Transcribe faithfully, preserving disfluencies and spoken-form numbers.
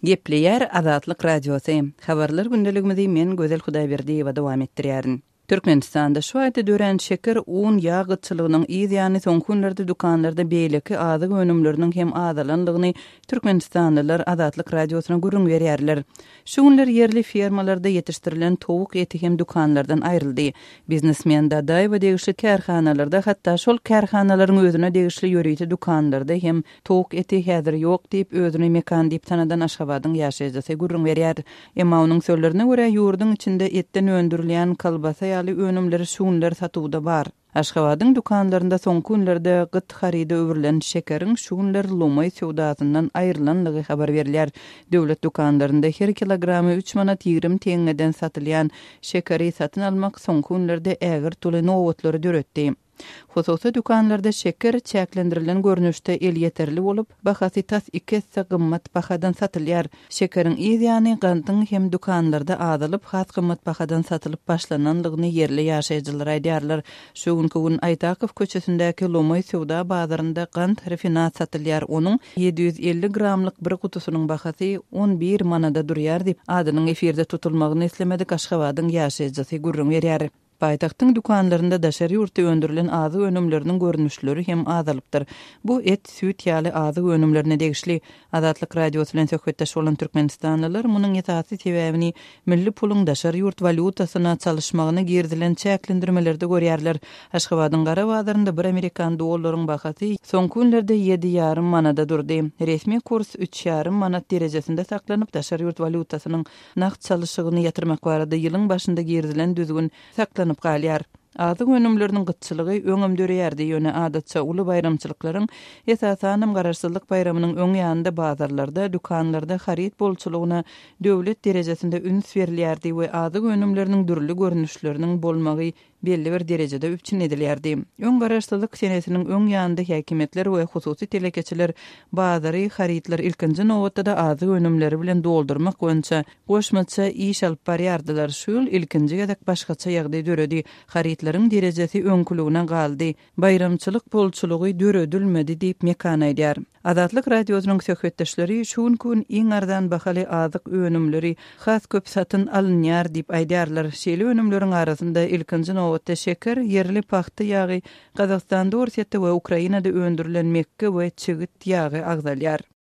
Gepleýär Azatlyk Radiosy. Habarlar gündeligimizi men Gözel Hudaýberdiýewa dowam etdirýärin. Türkmenistanda şu aýda dörän şeker, un, ýag gytçylygynyň yz ýany soňky günlerde dükanlarda beýleki azyk önümleriniň hem azalanlygyny türkmenistanlylar Azatlyk Radiosyna gürrüň berýärler. Şu günler ýerli fermalarda ýetişdirilen towuk eti hem dükanlardan aýryldy. Biznesmen Dadaýewa degişli kärhanalarda, hatda şol kärhanalaryň özüne degişli ýörite dükanlarda hem towuk eti häzir ýok diýip, özüni Mekan diýip tanadan Aşgabadyň ýaşaýjysy gürrüň berýär. Emma onuň sözlerine görä, ýurduň içinde etden öndürilýän kolbasa ýaly önümleri şu günler satuwda bar. Aşgabadyň dükanlarynda soňky günlerde gyt haryda öwrülen şekeriň şu günler lomaý söwdasyndan aýrylanlygy habar berilýär. Döwlet dükanlarynda her kilogramy üç manat ýigrimi teňňeden satylýan şekeri satyn almak soňky günlerde ägirt uly nobatlary döretdi. Hususy dükanlarda şeker çäklendirilen görnüşde elýeterli bolup, bahasy tas iki esse gymmat bahadan satylýar. Şekeriň yz ýany gandyň hem dükanlarda azalyp, has gymmat bahadan satylyp başlananlygyny ýerli ýaşaýjylar aýdýarlar. Şu günki gün Aýtakow köçesindäki lomaý söwda bazarynda gant rafinat satylýar. Onuň ýedi ýüz elli gramlyk bir gutusynyň bahasy on bir manada durýar diýip, adynyň efirde tutulmagyny islemedik Aşgabadyň ýaşaýjysy gürrüň berýär. Paýtagtyň dükanlarynda daşary ýurtda öndürilen azyk önümleriniň görnüşleri hem azalypdyr. Bu et, süýt ýaly azyk önümlerine degişli. Azatlyk Radiosy bilen söhbetdeş bolan türkmenistanlylar munuň esasy sebäbini milli puluň daşary ýurt walýutasyna çalyşmagyna girizilen çäklendirmelerde görýärler. Aşgabadyň gara bazarynda bir amerikan dollaryň bahasy soňky günlerde ýedi ýarym manada durdy. Resmi kurs üç ýarym manat derejesinde saklanyp, daşary ýurt walýutasynyň nagt çalyşygyny ýatyrmak barada ýylyň başynda girizilen düzgün saklanyp galýar. Azyk önümleriniň gytçylygy öňem döreýärdi, ýöne adatça uly baýramçylyklaryň, esasanam Garaşsyzlyk baýramynyň öň ýanynda bazarlarda, dükanlarda haryt bolçulygyna döwlet derejesinde üns berilýärdi we azyk önümleriniň dürli görnüşleriniň bolmagy belli bir derejede üpjün edilýärdi. Öň Garaşsyzlyk senesiniň öň ýanynda häkimiýetler we hususy telekeçiler bazary, harytlar ilkinji nobatda-da azyk önümleri bilen doldurmak boýunça goşmaça iş alyp barýardylar. Şu ýyl ilkinji gezek başgaça ýagdaý döredi. Harytlaryň derejesi öňküligine galdy. Baýramçylyk bolçulygy döredilmedi diýip Mekan aýdýar. Azatlyk Radiosynyň söhbetdeşleri şu günki gün iň arzan bahaly azyk önümleri has köp satyn alynýar diýip aýdýarlar. Şeýle önümleriň arasynda ilkinji nobatda şeker, ýerli pagta ýagy, Gazagystanda, Orsýetde we Ukrainada öndürilen mekge we çigit ýagy agzalýar.